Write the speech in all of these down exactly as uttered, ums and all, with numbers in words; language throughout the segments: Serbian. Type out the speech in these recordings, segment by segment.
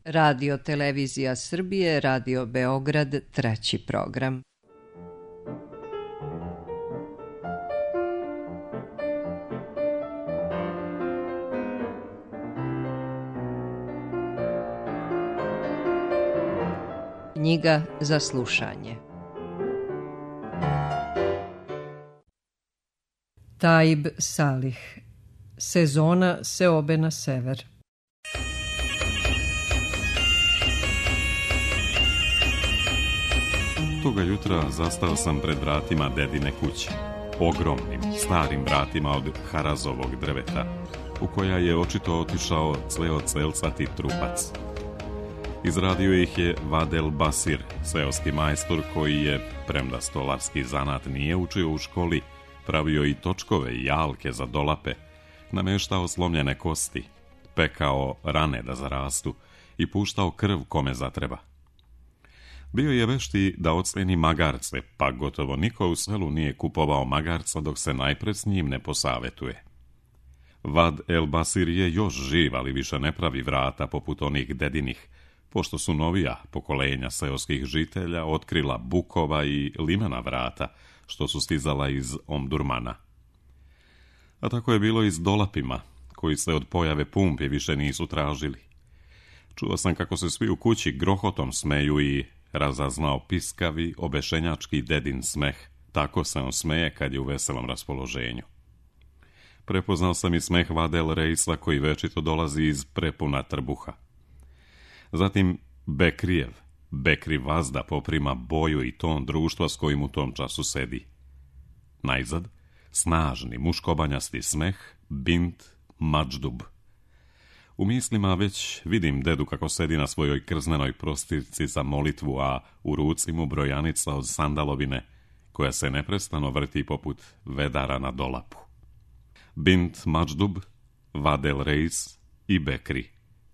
Radio Televizija Srbije, Radio Beograd, treći program. Knjiga za slušanje. Taib Salih. Sezona seobe na sever. Toga jutra zastao sam pred vratima dedine kuće, ogromnim, starim vratima od harazovog drveta, u koja je očito otišao cleocelcati trupac. Izradio ih je Vadel Basir, seoski majstor koji je, premda stolarski zanat nije učio u školi, pravio i točkove i jalke za dolape, nameštao slomljene kosti, pekao rane da zarastu i puštao krv kome zatreba. Bio je vešti da oceni magarce, pa gotovo niko u selu nije kupovao magarca dok se najpred s njim ne posavetuje. Vad el Basir je još živ, ali više ne pravi vrata poput onih dedinih, pošto su novija pokolenja seoskih žitelja otkrila bukova i limena vrata, što su stizala iz Omdurmana. A tako je bilo i s dolapima, koji se od pojave pumpi više nisu tražili. Čuo sam kako se svi u kući grohotom smeju i razaznao piskavi, obešenjački dedin smeh. Tako se on smeje kad je u veselom raspoloženju. Prepoznao sam i smeh Vadel Reisa koji večito dolazi iz prepuna trbuha. Zatim Bekrijev, Bekri Vazda poprima boju i ton društva s kojim u tom času sedi. Najzad, snažni, muškobanjasti smeh, Bint Mađdub. U mislima već vidim dedu kako sedi na svojoj krznenoj prostirci za molitvu, a u ruci mu brojanica od sandalovine, koja se neprestano vrti poput vedara na dolapu. Bint Mađdub, Vadel Reis i Bekri,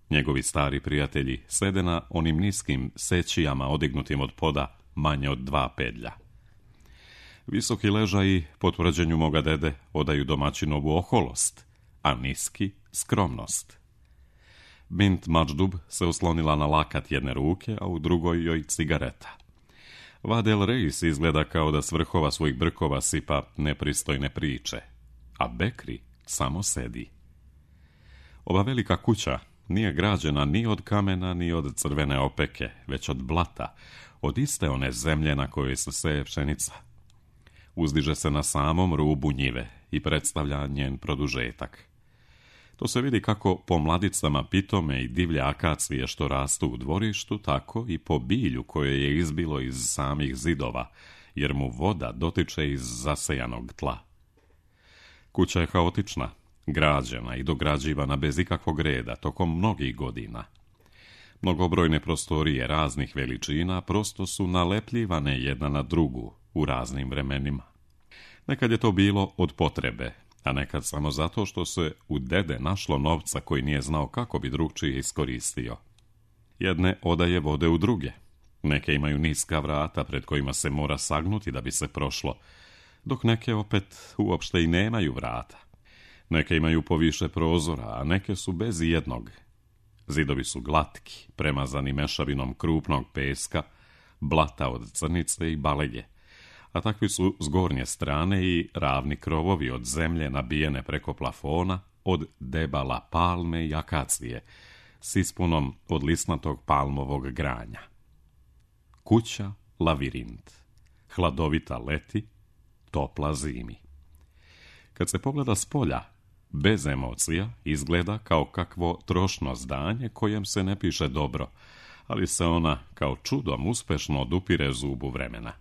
njegovi stari prijatelji, sede na onim niskim sećijama odignutim od poda manje od dva pedlja. Visoki ležaji, po tvrđenju moga dede, odaju domaćinovu oholost, a niski skromnost. Bint Mađdub se oslonila na lakat jedne ruke, a u drugoj joj cigareta. Vadel Reis izgleda kao da s vrhova svojih brkova sipa nepristojne priče, a Bekri samo sedi. Ova velika kuća nije građena ni od kamena, ni od crvene opeke, već od blata, od iste one zemlje na kojoj se seje pšenica. Uzdiže se na samom rubu njive i predstavlja njen produžetak. To se vidi kako po mladicama pitome i divlje akacije što rastu u dvorištu, tako i po bilju koje je izbilo iz samih zidova, jer mu voda dotiče iz zasejanog tla. Kuća je haotična, građena i dograđivana bez ikakvog reda tokom mnogih godina. Mnogobrojne prostorije raznih veličina prosto su nalepljivane jedna na drugu u raznim vremenima. Nekad je to bilo od potrebe, a nekad samo zato što se u dede našlo novca koji nije znao kako bi drugčije iskoristio. Jedne odaje vode u druge. Neke imaju niska vrata pred kojima se mora sagnuti da bi se prošlo, dok neke opet uopšte i nemaju vrata. Neke imaju poviše prozora, a neke su bez jednog. Zidovi su glatki, premazani mešavinom krupnog peska, blata od crnice i balege, a takvi su s gornje strane i ravni krovovi od zemlje nabijene preko plafona od debala palme i akacije, s ispunom od lisnatog palmovog granja. Kuća lavirint, hladovita leti, topla zimi. Kad se pogleda s polja, bez emocija, izgleda kao kakvo trošno zdanje kojem se ne piše dobro, ali se ona kao čudom uspešno odupire zubu vremena.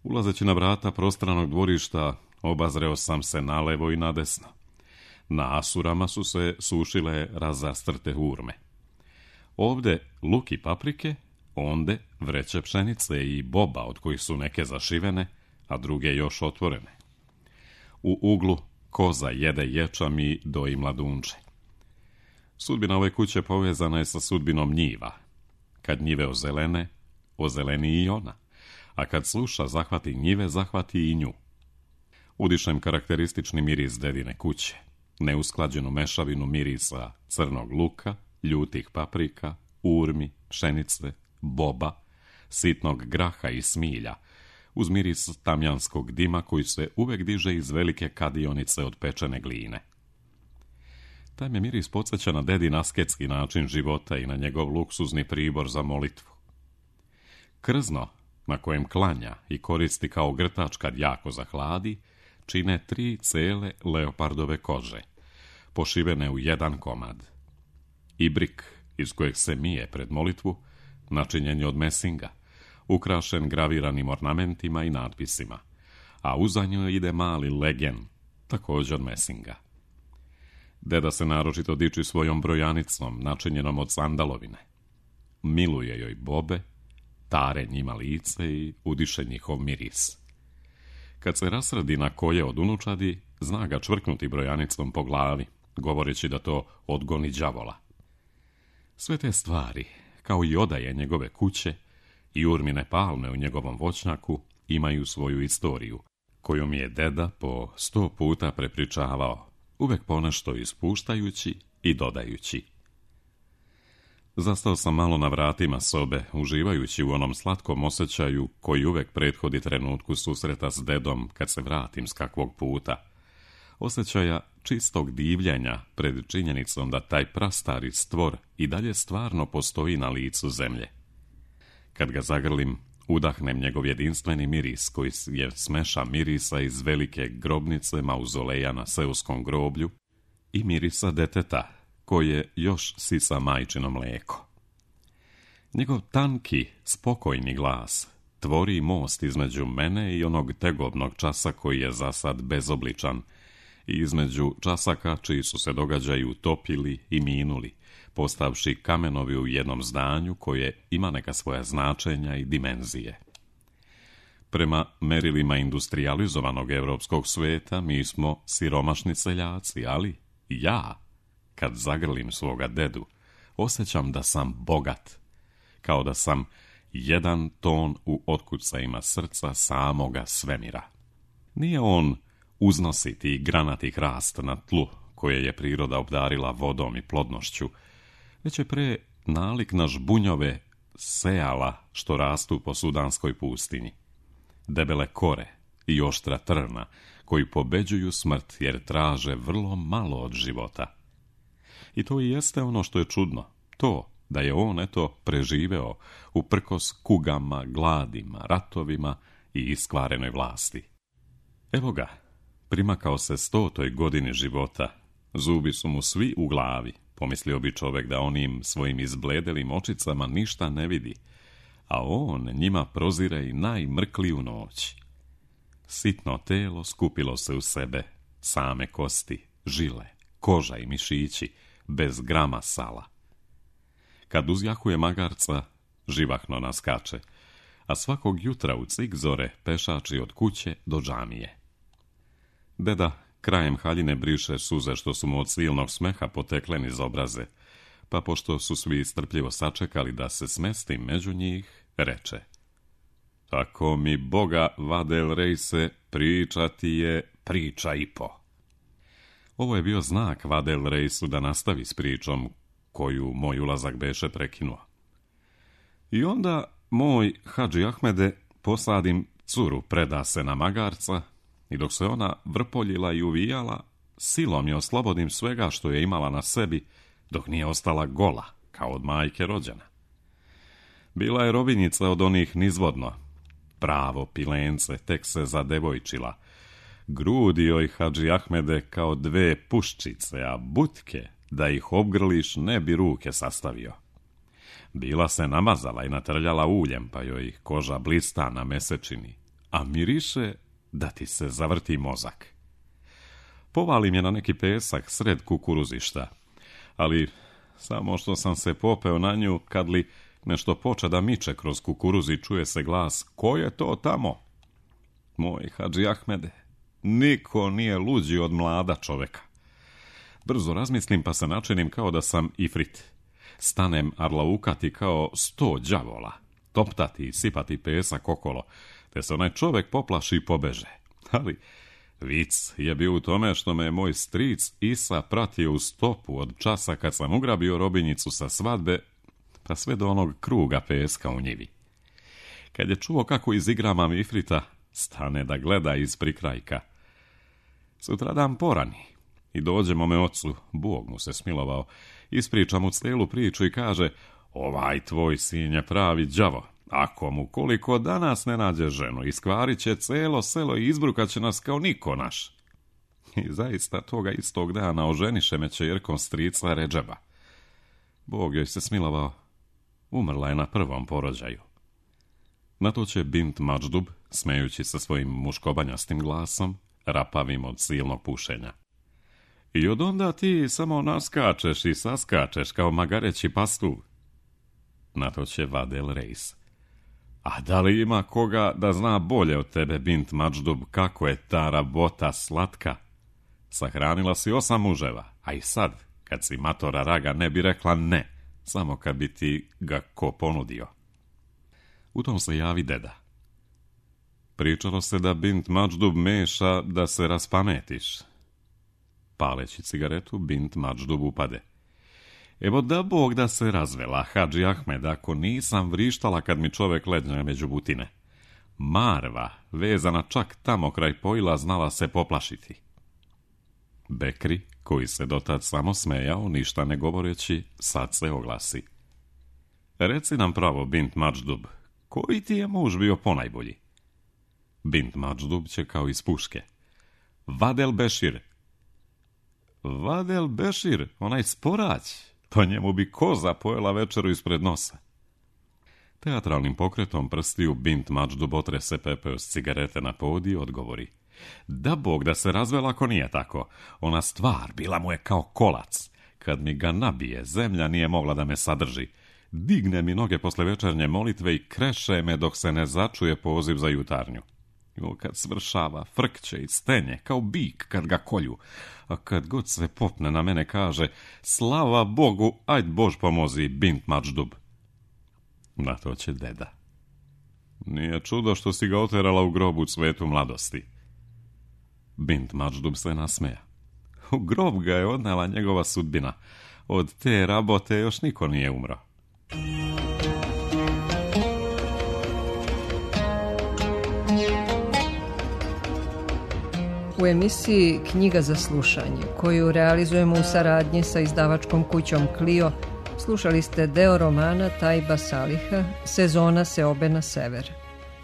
Ulazeći na vrata prostranog dvorišta, obazreo sam se nalevo i nadesno. Na asurama su se sušile razastrte hurme. Ovde luk i paprike, onde vreće pšenice i boba od kojih su neke zašivene, a druge još otvorene. U uglu koza jede ječam i doji mladunče. Sudbina ove kuće povezana je sa sudbinom njiva. Kad njive ozelene, ozeleni i ona, a kad sluša zahvati njive, zahvati i nju. Udišem karakteristični miris dedine kuće, neusklađenu mešavinu mirisa crnog luka, ljutih paprika, urmi, pšenice, boba, sitnog graha i smilja, uz miris tamjanskog dima koji se uvek diže iz velike kadionice od pečene gline. Taj me miris podsjeća na dedin asketski način života i na njegov luksuzni pribor za molitvu. Krzno, na kojem klanja i koristi kao grtač kad jako zahladi, čine tri cele leopardove kože, pošivene u jedan komad. Ibrik, iz kojeg se mije pred molitvu, načinjen je od mesinga, ukrašen graviranim ornamentima i natpisima, a uza njoj ide mali legen, također od mesinga. Deda se naročito diči svojom brojanicom, načinjenom od sandalovine. Miluje joj bobe, tare njima lice i udiše njihov miris. Kad se rasradi na koje od unučadi, zna ga čvrknuti brojanicom po glavi, govoreći da to odgoni đavola. Sve te stvari, kao i odaje njegove kuće i urmine palme u njegovom voćnjaku, imaju svoju istoriju, koju mi je deda po sto puta prepričavao, uvek ponešto ispuštajući i dodajući. Zastao sam malo na vratima sobe, uživajući u onom slatkom osjećaju koji uvek prethodi trenutku susreta s dedom kad se vratim s kakvog puta. Osjećaja čistog divljenja pred činjenicom da taj prastari stvor i dalje stvarno postoji na licu zemlje. Kad ga zagrlim, udahnem njegov jedinstveni miris koji je smeša mirisa iz velike grobnice mauzoleja na seoskom groblju i mirisa deteta koje još sisa majčino mlijeko. Njegov tanki, spokojni glas tvori most između mene i onog tegobnog časa koji je za sad bezobličan i između časaka čiji su se događaji utopili i minuli, postavši kamenovi u jednom zdanju koje ima neka svoja značenja i dimenzije. Prema merilima industrializovanog evropskog sveta mi smo siromašni seljaci, ali ja, kad zagrlim svoga dedu, osjećam da sam bogat, kao da sam jedan ton u otkucajima srca samoga svemira. Nije on uznositi i granati hrast na tlu koje je priroda obdarila vodom i plodnošću, već je pre nalik na žbunjove sejala što rastu po sudanskoj pustinji. Debele kore i oštra trna koji pobeđuju smrt jer traže vrlo malo od života. I to i jeste ono što je čudno, to da je on eto preživeo uprkos kugama, gladima, ratovima i iskvarenoj vlasti. Evo ga, primakao se stotoj godini života, zubi su mu svi u glavi, pomislio bi čovek da onim svojim izbledelim očicama ništa ne vidi, a on njima prozire i najmrkliju noć. Sitno telo skupilo se u sebe, same kosti, žile, koža i mišići, bez grama sala. Kad uzjahuje magarca, živahno naskače, a svakog jutra u cik zore pešači od kuće do džamije. Deda krajem haljine briše suze što su mu od silnog smeha potekle niz obraze, pa pošto su svi strpljivo sačekali da se smesti među njih, reče: Tako mi Boga, Vadel Rejse, pričati je priča i po. Ovo je bio znak Vadel Rejsu da nastavi s pričom koju moj ulazak beše prekinuo. I onda moj Hadži Ahmede posadim curu preda se na magarca i dok se ona vrpoljila i uvijala, silom je oslobodim svega što je imala na sebi dok nije ostala gola, kao od majke rođena. Bila je robinjica od onih nizvodno, pravo pilence, tek se zadevojčila. Grudi joj, Hadži Ahmede, kao dve puščice, a butke, da ih obgrliš, ne bi ruke sastavio. Bila se namazala i natrljala uljem, pa joj koža blista na mesečini, a miriše da ti se zavrti mozak. Povalim je na neki pesak sred kukuruzišta, ali samo što sam se popeo na nju, kad li nešto poče da miče kroz kukuruzi, čuje se glas: Ko je to tamo? Moj Hadži Ahmede, niko nije luđi od mlada čoveka. Brzo razmislim pa se načinim kao da sam ifrit. Stanem arlaukati kao sto đavola, toptati i sipati pesak okolo, te se onaj čovek poplaši i pobeže. Ali vic je bio u tome što me moj stric Isa pratio u stopu od časa kad sam ugrabio robinjicu sa svadbe, pa sve do onog kruga peska u njivi. Kad je čuo kako izigra mamifrita, stane da gleda iz prikrajka. Sutradan porani i dođe mome ocu, Bog mu se smilovao, ispriča mu cijelu priču i kaže: ovaj tvoj sin je pravi đavo, ako mu koliko danas ne nađe ženu, iskvarit će celo selo i izbrukat će nas kao niko naš. I zaista toga istog dana oženiše me ćerkom strica Redžeba. Bog joj se smilovao, umrla je na prvom porođaju. Na to će Bint Mačdub, smejući se svojim muškobanjastim glasom, rapavim od silnog pušenja: i od onda ti samo naskačeš i saskačeš kao magareći pastuv. Na to će Vadel Reis: a da li ima koga da zna bolje od tebe, Bint Mačdub, kako je ta rabota slatka? Sahranila si osam muževa, a i sad, kad si matora raga, ne bi rekla ne, samo kad bi ti ga ko ponudio. U tom se javi deda. Pričalo se da Bint Mačdub meša da se raspametiš. Paleći cigaretu, Bint Mačdub upade: evo da Bog da se razvela, Hadži Ahmed, ako nisam vrištala kad mi čovek leđe među butine. Marva, vezana čak tamo kraj pojila, znala se poplašiti. Bekri, koji se dotad samo smejao, ništa ne govoreći, sad se oglasi: reci nam pravo, Bint Mačdub, koji ti je muž bio ponajbolji? Bint Mačdub će kao iz puške: Vadel Bešir. Vadel Bešir, onaj sporać, po njemu bi koza pojela večeru ispred nosa. Teatralnim pokretom prstiju Bint Mačdub otrese pepeo s cigarete na podiju, odgovori: da Bog da se razvela ako nije tako. Ona stvar bila mu je kao kolac. Kad mi ga nabije, zemlja nije mogla da me sadrži. Digne mi noge posle večernje molitve i kreše me dok se ne začuje poziv za jutarnju. I kad svršava, frkće i stenje kao bik kad ga kolju. A kad god se popne na mene, kaže: slava Bogu, ajd Bož pomozi, Bint Mačdub. Na to će deda: nije čudo što si ga oterala u grobu cvetu mladosti. Bint Mačdub se nasmeja: u grob ga je odnela njegova sudbina. Od te rabote još niko nije umro. U emisiji Knjiga za slušanje, koju realizujemo u saradnji sa izdavačkom kućom Clio, slušali ste deo romana Tajba Saliha Sezona seobe na sever.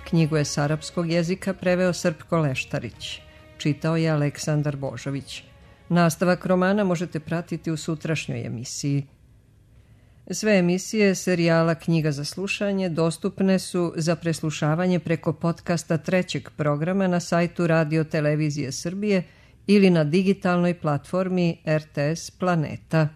Knjigu je s arapskog jezika preveo Srpko Leštarić. Čitao je Aleksandar Božović. Nastavak romana možete pratiti u sutrašnjoj emisiji. Sve emisije serijala Knjiga za slušanje dostupne su za preslušavanje preko podcasta trećeg programa na sajtu Radio Televizije Srbije ili na digitalnoj platformi R T S Planeta.